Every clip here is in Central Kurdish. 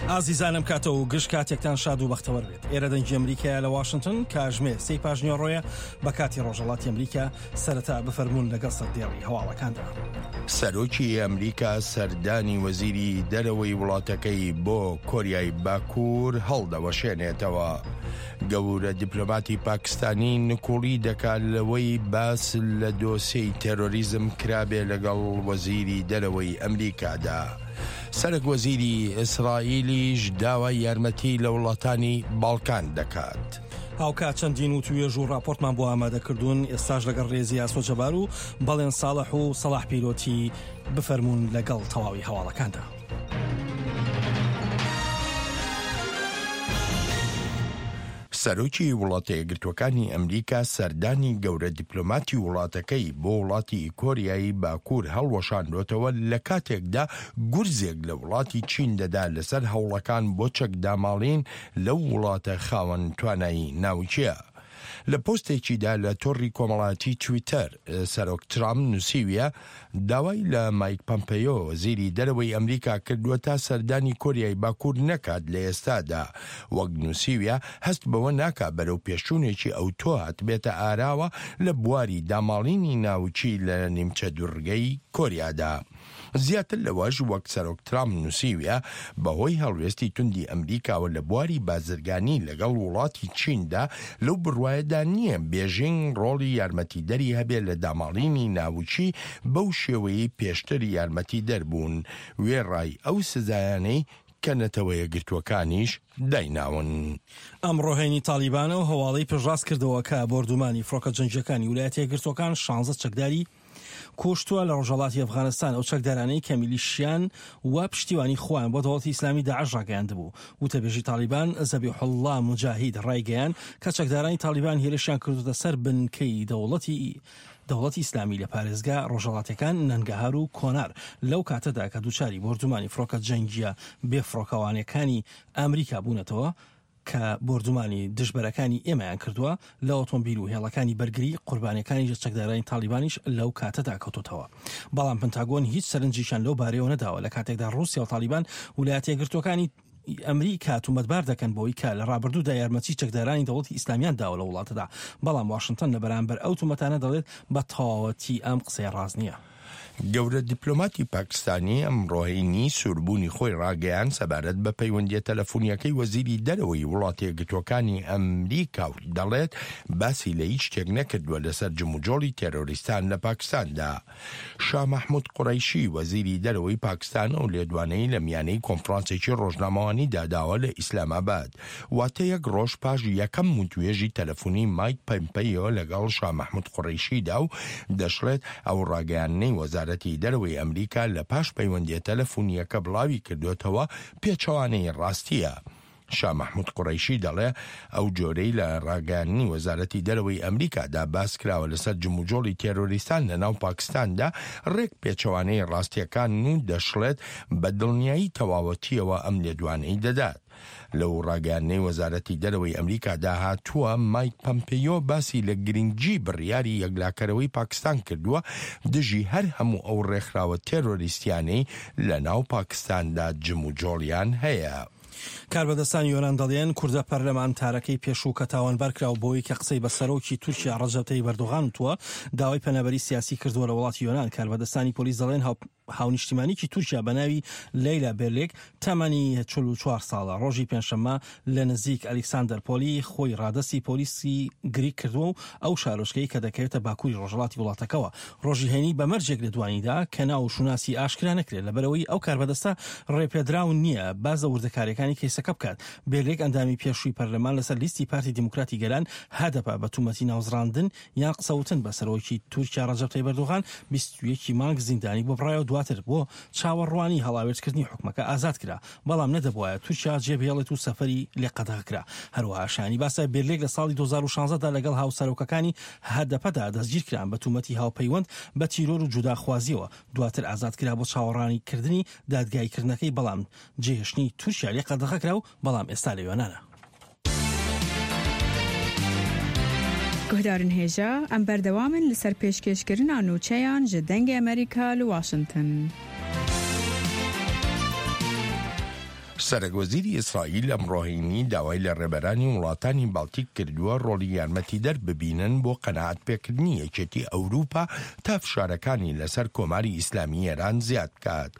ئازیزانم کاتە و گشت کاتێکتان شاد و بەختەوەر بێت ئێرە دەنگی ئەمریکایە لە واشنتن کاژمێر سێی پاژنیوەڕۆیە بە کاتی ڕۆژهەڵاتی ئەمریکا سەرەتا بفەرموون لەگەڵ سەردێڕی هەواڵەکاندا. سەرۆکی ئەمریکا سەردانی وەزیری دەرەوەی وڵاتەکەی بۆ کۆریای باکوور هەڵدەوەشێنێتەوە. گەورە دیپلۆماتی پاکستانی نکوڵی دەکات لەوەی باس لە دۆسێی تێرۆریزم کرابێ لەگەڵ وەزیری دەرەوەی ئەمریکادا. سەرەک وەزیری ئیسرائیلیش داوای یارمەتی لە وڵاتانی باڵکان دەکات. هاوکات چەندین وتوێژ و ڕاپۆرتمان بۆ ئامادە کردوون، ئێستاش لەگەڵ ڕێزی ئاسۆ جەبار و بەڵێن ساڵح و سەڵاح پیرۆتی بفەرموون لەگەڵ تەواوی هەواڵەکاندا. سەرۆکی وڵاتەیەکگرتووەکانی ئەمریکا سەردانی گەورە دیپلۆماتی وڵاتەکەی بۆ وڵاتی کۆریای باکوور هەڵوەشاندۆتەوە لە کاتێکدا گورزێک لە وڵاتی چین دەدا لەسەر هەوڵەکان بۆ چەکداماڵین لەو وڵاتە خاوەن توانایی ناوکیە. لە پۆستێکیدا لە تۆڕی کۆمەڵایەتی تویتەر، سەرۆک ترامپ نووسیویە، داوای لە مایک پەمپەیۆ، وەزیری دەرەوەی ئەمریکا کردووە تا سەردانی کۆریای باکوور نەکات لە ئێستادا. وەک نووسیویە، هەست بەوە ناکا بەرەوپێشچوونێکی ئەوتۆ هاتبێتە ئاراوە لە بواری داماڵینی ناوکی لە نیمچە دوڕگەی کۆریادا. زیاتر لەوەش وەک سەرۆک ترامپ نووسیویە، بەهۆی هەڵوێستی توندی ئەمریکاوە لە بواری بازرگانی لەگەڵ وڵاتی چیندا، لەو بڕوایەدا نییە بێژینگ ڕۆڵی یارمەتیدەری هەبێ لە داماڵینی ناوکی بەو شێوەیەی پێشتر یارمەتیدەر بوون، وێڕای ئەو سزایانەی کە نەتەوەیەکگرتووەکانیش دایناون. ئەمڕۆ هەینی تاڵیبان ئەو هەواڵەی پشتڕاست کردەوە کە بۆردومانی فڕۆکە جەنگییەکانی ویلایەتە یەکگرتووەکان شانزە چەکداری کوشتووە لە ڕۆژهەڵاتی ئەفغانستان ئەو چەکدارانەی کە میلیشیان و پشتیوانی خۆیان بۆ دەوڵەتی ئیسلامی داعش ڕاگەیاندبوو. وتەبێژی تاڵیبان زەبیحوڵڵا موجاهید ڕایگەیاند کە چەکدارانی تاڵیبان هێرشیان کردووەتە سەر بنکەی دەوڵەتی دەوڵەتی ئیسلامی لە پارێزگا ڕۆژهەڵاتیەکان نەنگەهار و کۆنار لەو کاتەدا کە دووچاری بۆردومانی فڕۆکە جەنگییە بێفڕۆکەوانەکانی ئەمریکا بوونەتەوە کە بۆردومانی دژبەرەکانی ئێمەیان کردووە لە ئۆتۆمبیل و هێڵەکانی بەرگری، قوربانیەکانیش لە چەکدارانی تاڵیبانیش لەو کاتەدا کەوتۆتەوە. بەڵام پنتاگۆن هیچ سەرنجێکیان لەو بارەیەوە نەداوە لە کاتێکدا ڕووسیا و تاڵیبان ولایەتە یەکگرتووەکانی ئەمریکا تومەتبار دەکەن بەوەی کە لە ڕابردوودا یارمەتی چەکدارانی دەوڵەتی ئیسلامیان داوە لە وڵاتەدا، بەڵام واشنتن لە بەرامبەر ئەو تومەتانە دەڵێت بە تەواوەتی ئەم قسەیە ڕاست نییە. گەورە دیپلۆماتی پاکستانی ئەمڕۆ هەینی سووربوونی خۆی ڕاگەیاند سەبارەت بە پەیوەندییە تەلەفونییەکەی وەزیری دەرەوەی وڵاتەیەکگرتووەکانی ئەمریکا و دەڵێت باسی لە هیچ شتێک نەکردووە لەسەر جموجۆڵی تێرۆریستان لە پاکستاندا. شا مەحمود قوڕەیشی وەزیری دەرەوەی پاکستان ئەو لێدوانەی لە میانەی کۆنفرانسێکی ڕۆژنامەوانیدا داوە لە ئیسلامئاباد واتە یەک ڕۆژ پاش یەکەم وتوێژی تەلەفونی مایک پەمپەیۆ لەگەڵ شا مەحمود قوڕەیشیدا و دەشڵێت ئەو ڕاگەیاندنەی وەزارەتی دەرەوەی ئەمریکا لە پاش پەیوەندیە تەلەفونیەکە بڵاوی کردۆتەوە پێچەوانەی ڕاستیە. شا مەحمود قوڕەیشی دەڵێ ئەو جۆرەی لە ڕاگەیاندنی وەزارەتی دەرەوەی ئەمریکادا باس کراوە لەسەر جموجۆڵی تێرۆریستان لە ناو پاکستاندا ڕێک پێچەوانەی ڕاستیەکانن و دەشڵێت بە دڵنیایی تەواوەتیەوە ئەم لێدوانەی دەدات. لەو ڕاگەیاندنەی وەزارەتی دەرەوەی ئەمریکادا هاتووە، مایک پەمپێیۆ باسی لە گرنگی بڕیاری یەکلاکەرەوەی پاکستان کردووە دژی هەر هەموو ئەو ڕێکخراوە تێرۆریستیانەی لە ناو پاکستاندا جموجۆڵیان هەیە. کاربەدەستانی یۆنان دەڵێن، کوردە پەرلەمانتارەکەی پێشوو کە تاوانبار کراوە بەوەی کە قسەی بە سەرۆکی تورکیا ڕەجەب تەیب ئەردۆغان وتووە، داوای پەنابەری سیاسی کردووە لە وڵاتی یۆنان. کاربەدەستانی پۆلیس دەڵێن، هاونیشتیمانیکی تورکیا بە ناوی لەیلا بێرلێک تەمەنی 44 ساڵە ڕۆژی پێنجشەممە لە نزیک ئەلیکساندەر پۆلی خۆی ڕادەستی پۆلیسی گریک کردووە و ئەو شارۆچکەی کە دەکەوێتە باکووری ڕۆژهەڵاتی وڵاتەکەوە ڕۆژی هەینی بە مەرجێک لێدوانیدا کە ناو و شوناسی ئاشکرا نەکرێت لەبەرئەوەی ئەو کاربەدەستە ڕێپێدراو نییە باس لە وردەکارییەکانی کەیسەکە بکات. بێرلێک ئەندامی پێشووی پەرلەمان لەسەر لیستی پارتی دیموکراتی گەلان، هەدەپە، بە تومەتی ناوزڕاندن یان قسەوتن بە سەرۆکی تورکیا ڕەجەب تەیب ئەردۆغان 21 ی مانگ زیندانی بۆ بڕایەوە دواتر بۆ چاوەڕوانی هەڵاوێردکردنی حوکمەکە ئازاد کرا بەڵام نەدەبوایە تورکیا جێبهێڵێت و سەفەری لێ قەدەغە کرا هەروەها شایانی باسە بێرلێک لە ساڵی 2016 دا لەگەڵ هاوسەرۆکەکانی هەدەپەدا دەستگیرکران بە تومەتی هاوپەیوەند بە تیرۆر و جوداخوازیەوە دواتر ئازاد کرا بۆ چاوەڕانیکردنی دادگاییکردنەکەی بەڵام جێهێشتنی تورکیا لێ قەدەغە کرا و بەڵام ئێستا لە یۆنانە. Guhdarên hêja, em berdewam in li ser pêşkêşkirina nûçeyan ji Dengê Amerîka li Washington. سەرەکوەزیری ئیسرائیل ئەمڕۆ هەینی داوای لە ڕێبەرانی وڵاتانی باڵتیک کردووە ڕۆڵی یارمەتیدەر ببینن بۆ قەناعەت پێکردنی یەکێتی ئەوروپا تا فشارەکانی لەسەر کۆماری ئیسلامی ئێران زیاد بکات.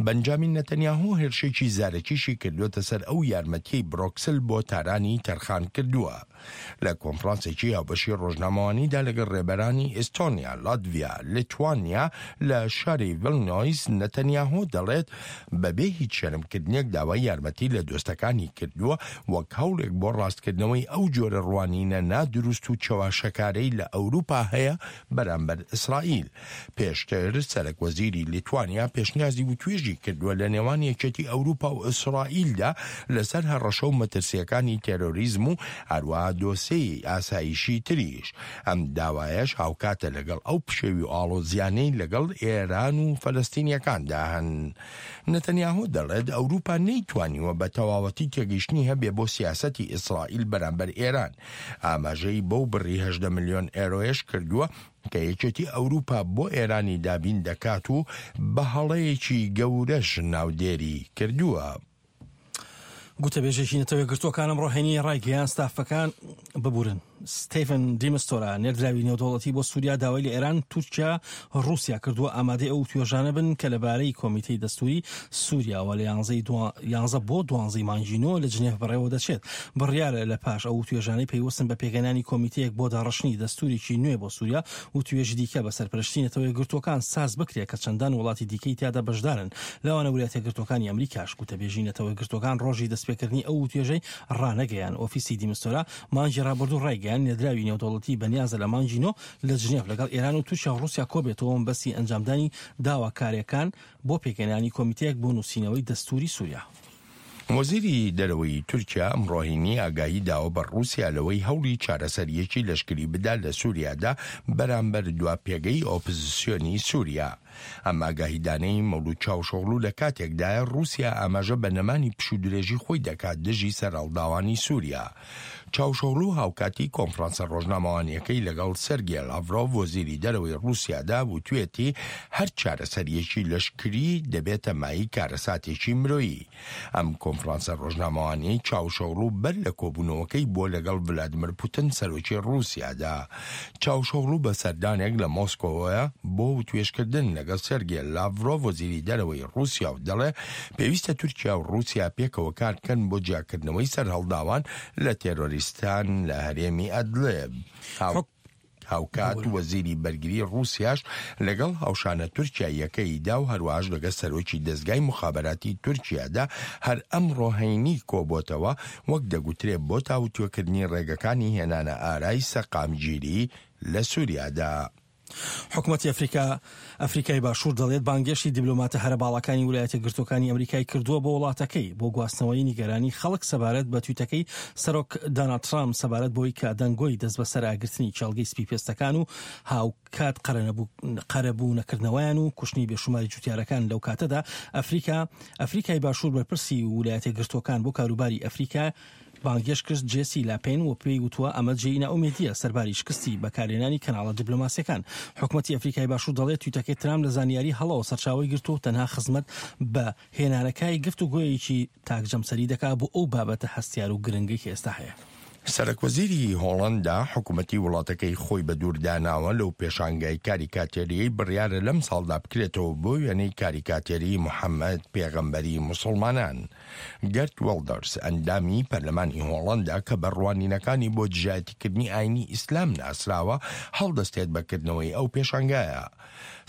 بەنجامین نەتەنیاهۆ هێرشێکی زارەکیشی کردووەتە سەر ئەو یارمەتیەی برۆکسل بۆ تارانی تەرخان کردووە. لە کۆنفرانسێکی هاوبەشی ڕۆژنامەوانیدا لەگەڵ ڕێبەرانی ئیستۆنیا، لاتڤیا، لیتوانیا لە شاری ڤیلنۆیس، نەتەنیاهۆ دەڵێت بەبێ هیچ شەرمکردنێک داوای یارمەتی لە دۆستەکانی کردووە وەک هەوڵێک بۆ ڕاستکردنەوەی ئەو جۆرە ڕوانینە نادروست و چەواشەکارەی لە ئەوروپا هەیە بەرامبەر ئیسرائیل. پێشتر سەرەک وەزیری لیتوانیا پێشنیازی وتوێژی کردووە لە نێوان یەکێتی ئەوروپا و ئیسرائیلدا لەسەر هەڕەشە و مەترسییەکانی تێرۆریزم و هەروەها دۆسێی ئاسایشی تریش. ئەم داوایەش هاوکاتە لەگەڵ ئەو پشێوی و ئاڵۆزیانەی لەگەڵ ئێران و فەلەستینیەکاندا هەن. نەتەنیاهۆ دەڵێت ئەوروپا نەیتوانیوە بە تەواوەتی تێگەیشتنی هەبێ بۆ سیاسەتی ئیسرائیل بەرامبەر ئێران. ئاماژەی بەو بڕی 18 ملیۆن ئێرۆیەش کردووە کە یەکێتی ئەوروپا بۆ ئێرانی دابین دەکات و بە هەڵەیەکی گەورەش ناودێری کردووە. گوتەبێژێکی نەتەوە یەکگرتووەکان ئەمڕۆ هەینی ڕایگەیاند ستافەکان ببورن ستیفن دیمستۆرا نێردراوی نێودەوڵەتی بۆ سووریا داوای لە ئێران تورکیا ڕووسیا کردووە ئامادەی ئەو توێژانە بن کە لەبارەی کۆمیتەی دەستوری سووریاوە لە یانزە بۆ دوانزەی مانگی نۆ لە جنێف بەڕێوە دەچێت. بڕیارە لە پاش ئەو وتوێژانەی پەیوەستن بە پێکهێنانی کۆمیتەیەک بۆ داڕشتنی دەستوورێکی نوێ بۆ سووریا، وتوێژی دیکە بە سەرپەرشتی نەتەوە یەکگرتووەکان ساز بکرێت کە چەندان وڵاتی دیکەی تیادا بەشدارن، لەوانە ویلایەتە یەکگرتووەکانی ئەمریکاش. گوتەبێژی نەتەوە یەکگرتووەکان ڕۆژی دەستپێکردنی ئەو وتوێژەی ڕانەگەیاند. ئۆفیسی دیمستۆرا مانگی ڕابردوو ڕایگەیاند، نێردراوی نێودەوڵەتی بەنیازە لە مانگی نۆ لە جنێڤ لەگەڵ ئێران و تورکیا و ڕووسیا کۆبێتەوە مەبەستی ئەنجامدانی داواکارییەکان بۆ پێکهێنانی کۆمیتەیەک بۆ نووسینەوەی دەستووری سووریا. وەزیری دەرەوەی تورکیا ئەمڕۆ هەینی ئاگاهی داوە بە ڕووسیا لەوەی هەوڵی چارەسەرییەکی لەشکری بدا لە سووریادا بەرامبەر دوا پێگەی ئۆپزسیۆنی سووریا. ئەم ئاگاهیدانەی مەولود چاوشئۆغڵو لە کاتێکدایە ڕووسیا ئاماژە بە نەمانی پشوودرێژی خۆی دەکات دژی سەرهەڵداوانی سووریا. چاوشئۆغڵو هاوکاتی کۆنفرانسە ڕۆژنامەوانییەکەی لەگەڵ سێرگێ لاڤرۆڤ وەزیری دەرەوەی ڕووسیادا وتوێتی هەر چارەسەرییەکی لەشکری دەبێتە مایەی کارەساتێکی مرۆیی. ئەم کۆنفرانسە ڕۆژنامەوانیەی چاوشئۆغڵو بەر لە کۆبوونەوەکەی بووە لەگەڵ ڤلادیمیر پوتن سەرۆکی ڕووسیادا. چاوشئۆغڵو بە سەردانێک لە مۆسکۆوەیە بۆ وتوێژکردن لەگەڵ سێرگێ لاڤرۆڤ وەزیری دەرەوەی ڕووسیا و دەڵێ پێویستە تورکیا و ڕووسیا پێکەوە کار بکەن بۆ جیاکردنەوەی سەرهەڵداوان لە تێرۆریستان لە هەرێمی ئەدلب. هاوکات وەزیری بەرگری ڕووسیاش لەگەڵ هاوشانە تورکیاییەکەیدا و هەروەهاش لەگەڵ سەرۆکی دەزگای موخابەراتی تورکیادا هەر ئەمڕۆ هەینی کۆبۆتەوە، وەک دەگوترێ بۆ تاوتوێکردنی ڕێگەکانی هێنانە ئارای سەقامگیری لە سوریادا. حکومەتی ئەفریکا ئەفریکای باشوور دەڵێت بانگێشتی دیبلۆماتە هەرە باڵاکانی ولایەتە یەکگرتووەکانی ئەمریکای کردووە بۆ وڵاتەکەی بۆ گواستنەوەی نیگەرانی خەڵک سەبارەت بە تویتەکەی سەرۆک داناڵد ترامپ سەبارەت بۆی کە دەنگۆی دەستبەسەراگرتنی کێڵگەی سپیپێستەکان و هاوکات قەرەبوو نەکردنەوەیان و کوشتنی بێشوماری جوتیارەکان لەو کاتەدا ئەفریکا ئەفریکای باشوور بەرپرسی ولایەتە یەکگرتووەکان بۆ کاروباری ئەفریکا بانگهێشت کرد جێسی لاپێن و پێی وتووە ئەمە جێی نائومێدییە سەرباری شکستی بەکارهێنانی کەناڵە دیبلۆماسییەکان. حکومەتی ئەفریکای باشوور دەڵێت تویتەکەی ترامپ لە زانیاری هەڵەوە سەرچاوەی گرتووە و تەنها خزمەت بە هێنانەکای گفتوگۆیەکی تاکجەمسەری دەکات بۆ ئەو بابەتە هەستیار و گرنگەی کە ئێستا هەیە. سەرەکوەزیری هۆڵەندا حکومەتی وڵاتەکەی خۆی بە دوور داناوە لەو پێشانگای کاریکاتێرییەی بڕیارە لەمساڵدا بکرێتەوە بۆ وێنەی کاریکاتێری محەمەد پێغەمبەری موسڵمانان. گەرت ویڵدەرس، ئەندامی پەرلەمانی هۆڵەندا کە بە ڕوانینەکانی بۆ دژایەتیکردنی ئاینی ئیسلام ناسراوە، هەڵدەستێت بە کردنەوەی ئەو پێشانگایە.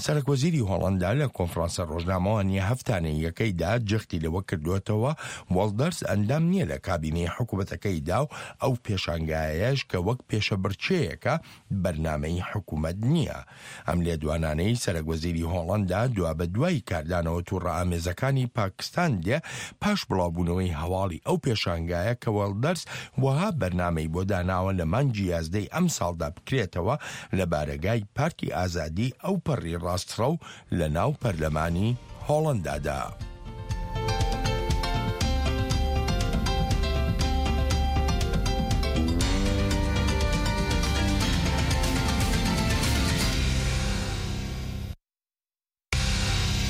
سەرەکوەزیری هۆڵەندا لە کۆنفرانسە ڕۆژنامەوانییە هەفتانەییەکەیدا جەختی لەوە کردووەتەوە، وڵدەرس ئەندام نییە لە کابینەی حکومەتەکەیدا و ئەو پێشانگایەش کە وەک پێشەبڕکێیەکە بەرنامەی حکومەت نییە. ئەم لێدوانانەی سەرەک وەزیری هۆڵەندا دوابەدوای کاردانەوە توڕەئامێزەکانی پاکستان دێ پاش بڵاوبوونەوەی هەواڵی ئەو پێشانگایە کە وێڵدەرس وەها بەرنامەی بۆ داناوە لە مانگی یازدەی ئەمساڵدا بکرێتەوە لە بارەگای پارتی ئازادی ئەوپەڕی ڕاستڕەو لە ناو پەرلەمانی هۆڵەندادا.